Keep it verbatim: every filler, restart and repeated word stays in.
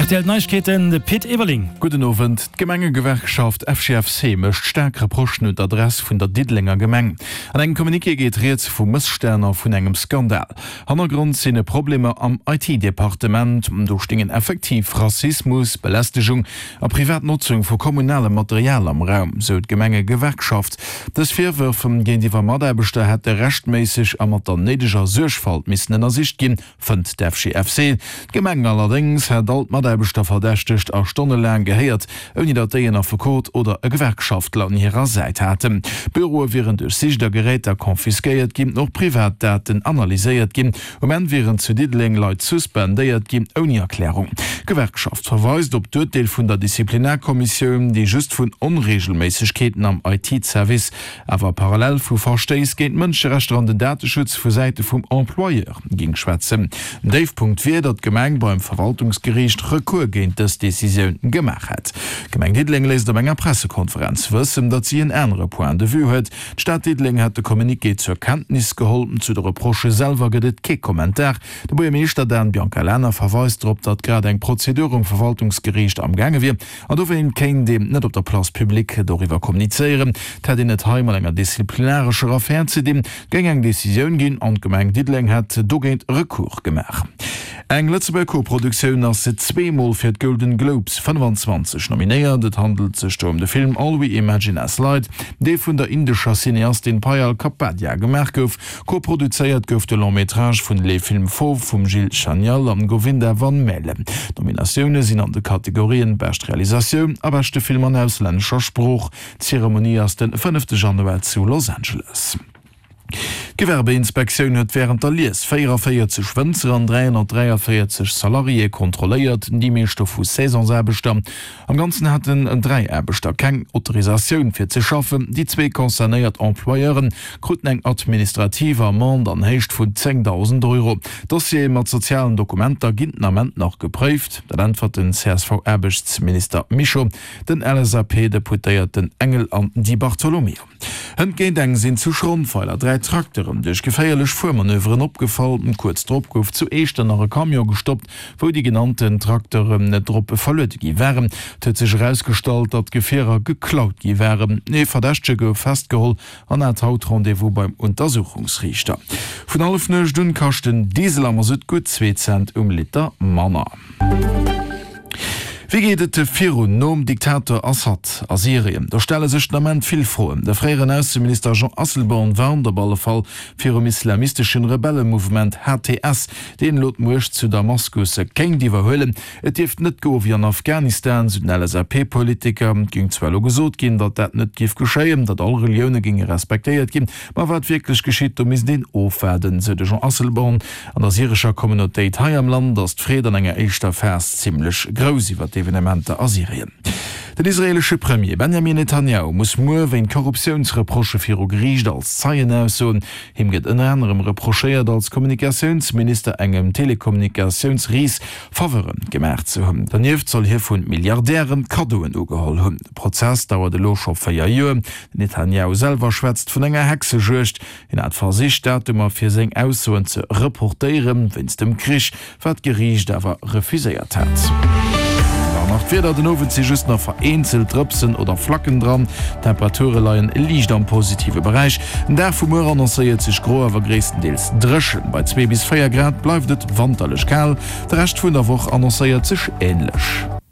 R T L Neiegkeeten, de Pit Everling. Gudden Owend. D'Gemengegewerkschaft F G F C mécht staark Reprochen un d'Adress vun der Diddelenger Gemeng. An engem Communiqué geet rieds vu Mësstänn a vun engem Skandal. Hannergrond sinn Problemer am I T-Departement. Do stingen effektiv Rassismus, Belästegung a privat Notzung vu kommunalem Material am Raum, sou d'Gemengegewerkschaft. Dës Virwërf géintiwwer Mataarbechter hätte rechtméisseg a mat der néideger Suergfalt missen ënnersicht ginn, fënnt d'F G F C. D'Gemeng allerdéngs hätt all d'Mataarbechter verdächtegt a stonnelaang gehéiert, ouni datt déi en Affekot oder e Gewerkschaftler un hirer Säit haten. Büroe wieren duerchsicht a Geräter konfiskéiert ginn, och privat Daten analyséiert ginn. Um Enn wieren zu Diddeleng Leit suspendéiert ginn, ouni Erklärung. D'Gewerkschaft verweist op d'Urteel vun der Disziplinarkommissioun, déi just vun Onreegelméissegkeeten am I T-Service, awer parallel vu Verstéiss géint d'Mënscherechter an den Dateschutz vu Säite vum Employeur géing schwätzen. Den Déifpunkt wier, datt d'Gemeng beim Verwaltungsgeriicht Recours géint dës Decisioun gemaach hätt. D'Gemeng Diddeleng léisst op enger Pressekonferenz wëssen, datt si en anere Point de vue huet. D'Stad Diddeleng hätt de Communiqué zur Kenntnis geholl. Zu de Reprochë selwer gëtt et kee Kommentar. De Buergermeeschter Dan Biancalana verweist drop, datt grad eng Prozedur um Verwaltungsgeriicht am gaange wier an dowéint kéint een net op der Place publique doriwwer kommunizéieren. Et hätt een et hei mat enger disziplinarescher Affär ze dinn, et géing eng Decisioun ginn an d'Gemeng Diddeleng hätt dogéint Recours gemaach. Eng Lëtzebuerger Koproduktioun ass zwee Mol fir d'Golden Globes fënnefanzwanzeg nominéiert. Et handelt sech do ëm de Film All We Imagine As Light, dee vun der indescher Cineastin Payal Kapadia gemaach gouf. Koproduzéiert gouf de Long-métrage vun Les Films Fauves vum Gilles Chanial an Govinda Van Maele. D'Nominatioune sinn an de Kategorien Bescht Realisatioun a beschte Film an auslännescher Sprooch. D'Zeremonie ass de fënnefte Januar zu Los Angeles. D'Gewerbeinspektioun huet wärend der Lies véieranvéierzeg Wënzer an dräihonnertdräianvéierzeg Salariéë kontrolléiert, déi meescht dovu Saisonsaarbechter. Am Ganzen haten dräi Aarbechter keng Autorisatioun fir ze schaffen. Déi zwee concernéiert Employeure kruten eng administrativ Amende an Héicht vun zéngdausend Euro. D'Dossiere mat sozialen Dokumenter ginn den Ament nach gepréift. Dat äntwert den C S V-Aarbechtsminister Mischo den L S A P-Deputéierten Engel an Di Bartolomeo. Hënt géint eng sinn zu Schrondweiler dräi Trakteren duerch geféierlech Fuermanöveren opgefall. Kuerz drop gouf zu Eechternach e Camion gestoppt, wou déi genannten Trakteren drop verluede gi waren. Et huet sech erausgestallt, datt d'Gefierer geklaut gi waren. Ee Verdächtege gouf festgeholl an hat haut Rendez-vous beim Untersuchungsriichter. Vun Hallefnuecht un kascht den Diesel am Masutt gutt zwee Cent um Liter manner. Wéi geet et virun nom Diktator Assad a Syrien? Do stelle sech den Ament vill Froen. De fréieren Ausseminister Jean Asselborn warnt op alle Fall virum islamisteschen Rebellemouvement H T S, deen elo d'Muecht zu Damaskus kéint iwwerhuelen. Et dierft net goe wéi an Afghanistan, sou den L S A P-Politiker. Et géing zwar elo gesot ginn, datt dat net géif geschéien, datt all Relioune géinge respektéiert ginn, ma wat wierklech geschitt, do misst een ofwaarden, sou de Jean Asselborn. An der syrescher Communautéit hei am Land ass d'Freed an enger éischter Phas zimmlech grouss iwwer d'Evenementer a Syrien. Den israeelesche Premier Benjamin Netanjahu muss muer wéint Korruptiounsreprochë viru Geriicht als Zeien aussoen. Him gëtt ënner anerem reprochéiert, als Kommunikatiounsminister engem Telekommunikatiounsris Faveure gemaach ze hunn. Donieft soll hie vu Milliardäre Kaddoen ugeholl hunn. De Prozess dauert elo scho véier Joer. Den Netanjahu selwer schwätzt vun enger Hexejuegd. Hien hat versicht, Datumer fir seng Aussoen ze reportéieren, wéinst dem Krich, wat d'Geriicht awer refuséiert hat. An nach d'Wieder, Den Owend si just nach vereenzelt Drëpsen oder Flacken dran. D'Temperature leien liicht am positive Beräich. Den Dag vu muer annoncéiert sech gro, awer gréisstendeels dréchen. Bei zwee bis véier Grad bleift et wanterlech kal. De Rescht vun der Woch annoncéiert sech änlech.